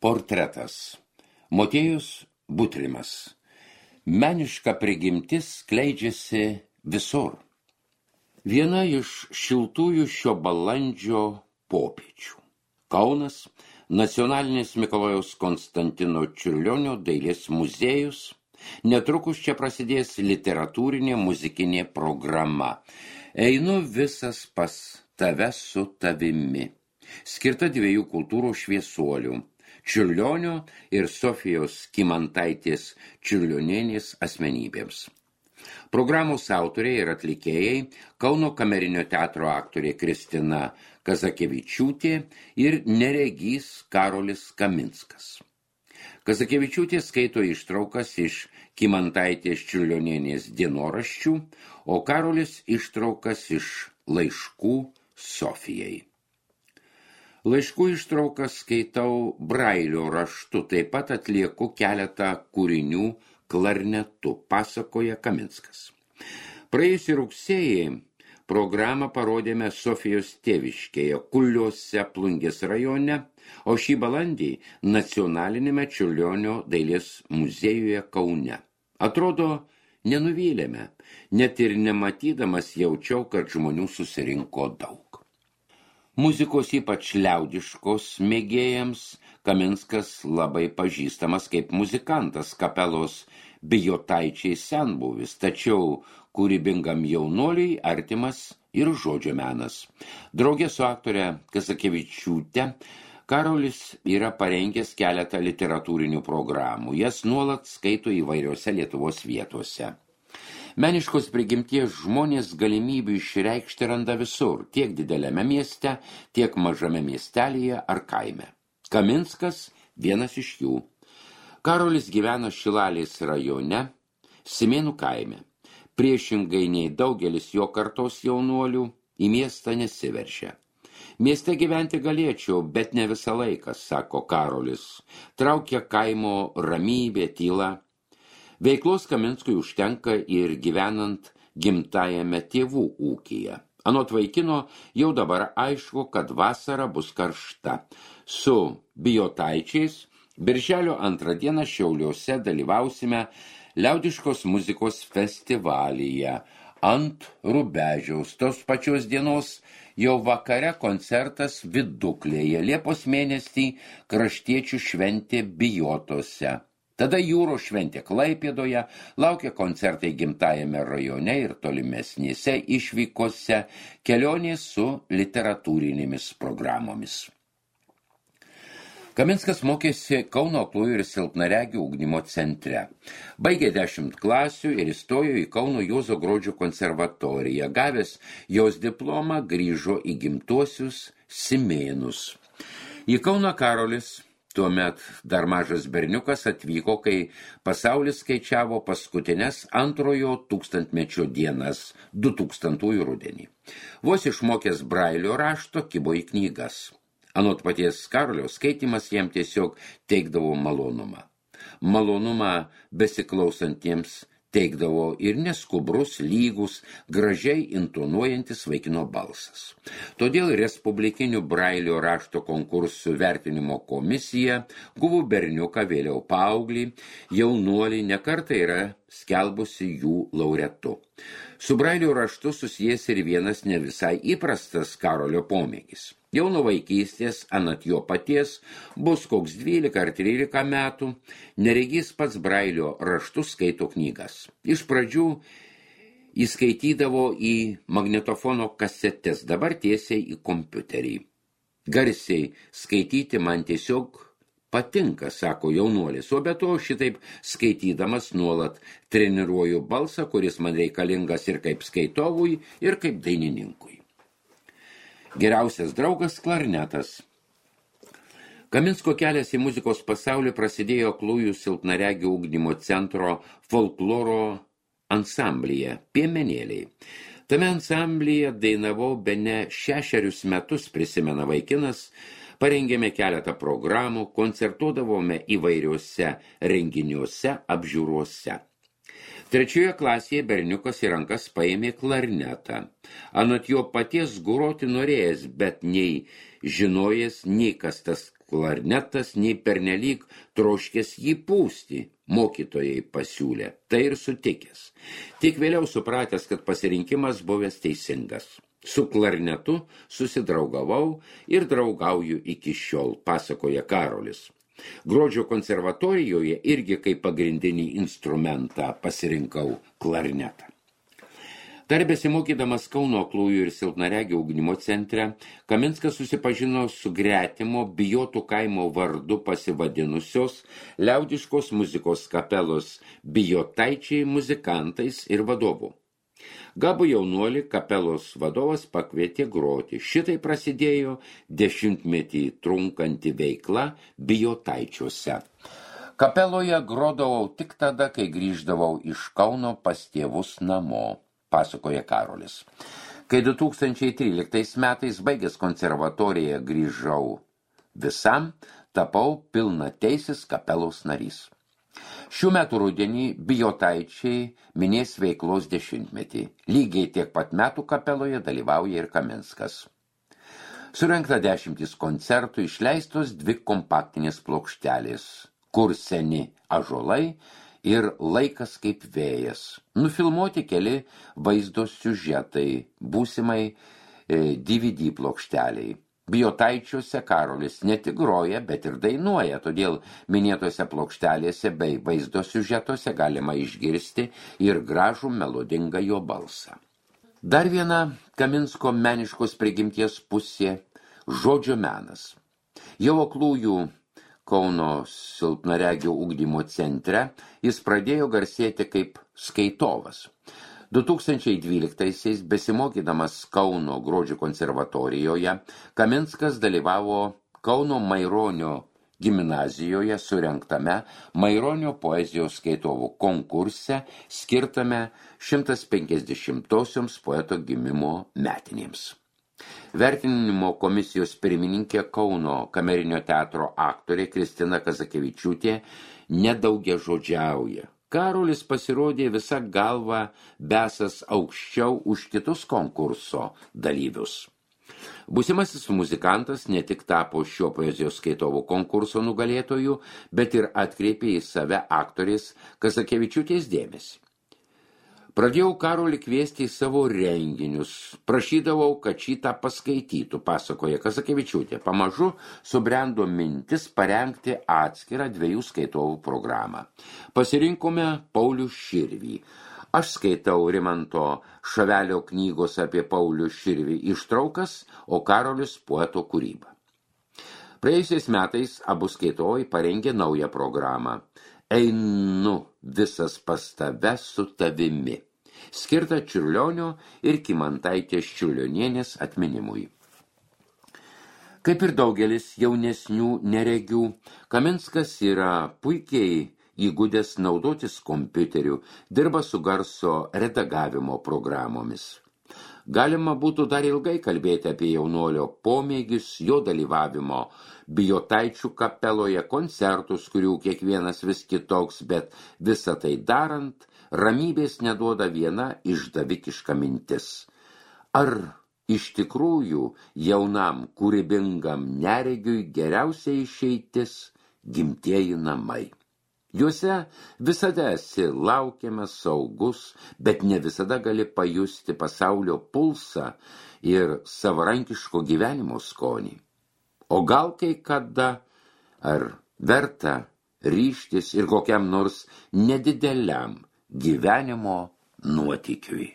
Portretas. Motiejus Butrimas. Meniška prigimtis skleidžiasi visur. Viena iš šiltųjų šio balandžio popiečių. Kaunas, Nacionalinis Mikalojaus Konstantino Čiurlionio dailės muziejus. Netrukus čia prasidės literatūrinė muzikinė programa. Einu visas pas tave su tavimi. Skirta dviejų kultūrų šviesuolių. Čiurlionio ir Sofijos Kymantaitės Čiurlionienės asmenybėms. Programos autoriai ir atlikėjai Kauno kamerinio teatro aktorė Kristina Kazakevičiūtė ir neregys Karolis Kaminskas. Kazakevičiūtė skaito ištraukas iš Kymantaitės Čiurlionienės dienoraščių, o Karolis ištraukas iš laiškų Sofijai. Laiškų ištraukas skaitau brailio raštu, taip pat atlieku keletą kūrinių klarnetu, pasakoja Kaminskas. Praėjusį rugsėjį programą parodėme Sofijos tėviškėje, Kuliuose, Plungės rajone, o šį balandį Nacionalinėme Čiurlionio dailės muziejuje Kaune. Atrodo, nenuvylėme, net ir nematydamas jaučiau, kad žmonių susirinko daug. Muzikos ypač liaudiškos mėgėjams Kaminskas labai pažįstamas kaip muzikantas kapelos Bijotaičiai senbuvis, tačiau kūrybingam jaunuoliui artimas ir žodžio menas. Drauge su aktore Kazakevičiūte Karolis yra parengęs keletą literatūrinių programų. Jas nuolat skaito įvairiose Lietuvos vietose. Meniškos prigimties žmonės galimybių išreikšti randa visur, tiek dideliame mieste, tiek mažame miestelyje ar kaime. Kaminskas vienas iš jų. Karolis gyvena Šilalės rajone, Simėnų kaime. Priešingai nei daugelis jo kartos jaunuolių, į miestą nesiveršia. Mieste gyventi galėčiau, bet ne visą laiką, sako Karolis. Traukia kaimo ramybė, tyla. Veiklos Kaminskui užtenka ir gyvenant gimtajame tėvų ūkyje. Anot vaikino jau dabar aišku, kad vasara bus karšta. Su Bijotaičiais birželio 2 dieną Šiauliuose dalyvausime liaudiškos muzikos festivalyje. Ant Rubežiaus tos pačios dienos jau vakare koncertas Viduklėje, Liepos mėnesį kraštiečių šventė Bijotose. Tada jūros šventė Klaipėdoje, laukia koncertai gimtajame rajone ir tolimesnėse išvykose, kelionės su literatūrinėmis programomis. Kaminskas mokėsi Kauno aklųjų ir silpnaregių ugdymo centre. Baigė 10 klasių ir įstojo į Kauno Juozo Gruodžio konservatoriją. Gavęs jos diplomą grįžo į gimtuosius Simėnus. Į Kauną Karolis, tuomet dar mažas berniukas, atvyko, kai pasaulis skaičiavo paskutines antrojo tūkstantmečio dienas, 2000 rudenį. Vos išmokęs brailio rašto kibo į knygas. Anot paties Karolio, skaitymas jam tiesiog teikdavo malonumą. Malonumą besiklausantiems teikdavo ir neskubrus, lygus, gražiai intonuojantis vaikino balsas. Todėl Respublikinių brailio rašto konkursų vertinimo komisija guvų berniuką, vėliau paauglį, jaunuolį nekartą yra skelbusi jų laureatu. Su brailio raštu susijęs ir vienas ne visai įprastas Karolio pomėgis. Jau nuo vaikystės, anot jo paties, bus koks 12 ar 13 metų, neregys pats brailio raštu skaito knygas. Iš pradžių įskaitydavo į magnetofono kasetes, dabar tiesiai į kompiuterį. Garsiai skaityti man tiesiog patinka, sako jaunuolis, o be to šitaip skaitydamas nuolat treniruoju balsą, kuris man reikalingas ir kaip skaitovui, ir kaip dainininkui. Geriausias draugas klarnetas. Kaminsko kelias į muzikos pasaulį prasidėjo aklųjų silpnaregių ugdymo centro folkloro ansamblyje Piemenėliai. Tame ansamblyje dainavau bene 6 metus, prisimena vaikinas, parengėme keletą programų, koncertuodavome įvairiuose renginiuose, apžiūruose. 3 klasėje berniukas į rankas paėmė klarnetą. Anot jo paties groti norėjęs, bet nei žinojęs, nei kas tas klarnetas, nei pernelyg troškęs jį pūsti, mokytojai pasiūlė, tai ir sutikęs. Tik vėliau supratęs, kad pasirinkimas buvęs teisingas. Su klarnetu susidraugavau ir draugauju iki šiol, pasakoja Karolis. Gruodžio konservatorijoje irgi kaip pagrindinį instrumentą pasirinkau klarnetą. Dar besimokydamas Kauno aklųjų ir silpnaregių ugdymo centre, Kaminskas susipažino su gretimo Bijotų kaimo vardu pasivadinusios liaudiškos muzikos kapelos Bijotaičiai muzikantais ir vadovu. Gabų jaunuolį kapelos vadovas pakvietė groti. Šitai prasidėjo 10-metį trunkanti veikla Bijotaičiuose. Kapeloje grodavau tik tada, kai grįždavau iš Kauno pas tėvus namo, pasakoja Karolis. Kai 2013 metais baigęs konservatoriją grįžau visam, tapau pilnateisis kapelos narys. Šių metų rudenį Bijotaičiai minės veiklos 10-metį. Lygiai tiek pat metų kapeloje dalyvauja ir Kaminskas. Surengta 10 koncertų, išleistos 2 kompaktinės plokštelės, Kur seni ąžuolai ir Laikas kaip vėjas. Nufilmuoti keli vaizdo siužetai būsimai DVD plokšteliai. Bijotaičiuose Karolis ne tik groja, bet ir dainuoja, todėl minėtose plokštelėse bei vaizdo siužetuose galima išgirsti ir gražų melodingą jo balsą. Dar viena Kaminsko meniškos prigimties pusė – žodžio menas. Jau aklųjų Kauno silpnaregių ugdymo centre jis pradėjo garsėti kaip skaitovas. 2012-aisiais besimokydamas Kauno Gruodžio konservatorijoje, Kaminskas dalyvavo Kauno Maironio gimnazijoje surengtame Maironio poezijos skaitovų konkurse skirtame 150-osioms poeto gimimo metinėms. Vertinimo komisijos pirmininkė Kauno kamerinio teatro aktorė Kristina Kazakevičiūtė nedaugiažodžiauja. Karolis pasirodė visa galva besas aukščiau už kitus konkurso dalyvius. Būsimasis muzikantas ne tik tapo šio poezijos skaitovų konkurso nugalėtojų, bet ir atkreipė į save aktorės Kazakevičiūtės dėmesį. Pradėjau Karolį kviesti į savo renginius, prašydavau, kad šitą paskaitytų, pasakoja Kazakevičiūtė. Pamažu subrendo mintis parengti atskirą 2 skaitovų programą. Pasirinkome Paulių Širvį. Aš skaitau Rimanto Šavelio knygos apie Paulių Širvį ištraukas, o Karolis poeto kūrybą. Praėjusiais metais abu skaitovai parengė naują programą. Einu visas pas tave su tavimi, skirta Čiurlionio ir Kymantaitės Čiurlionienės atminimui. Kaip ir daugelis jaunesnių neregių, Kaminskas yra puikiai įgudęs naudotis kompiuteriu, dirba su garso redagavimo programomis. Galima būtų dar ilgai kalbėti apie jaunuolio pomėgius, jo dalyvavimo Bijotaičių kapeloje, koncertus, kurių kiekvienas vis kitoks, bet visą tai darant, ramybės neduoda viena išdavikiška mintis. Ar iš tikrųjų jaunam kūrybingam neregiui geriausia išeitis gimtieji namai? Juose visada esi laukiamas, saugus, bet ne visada gali pajusti pasaulio pulsą ir savarankiško gyvenimo skonį. O gal kai kada, ar verta ryžtis ir kokiam nors nedideliam gyvenimo nuotykiui?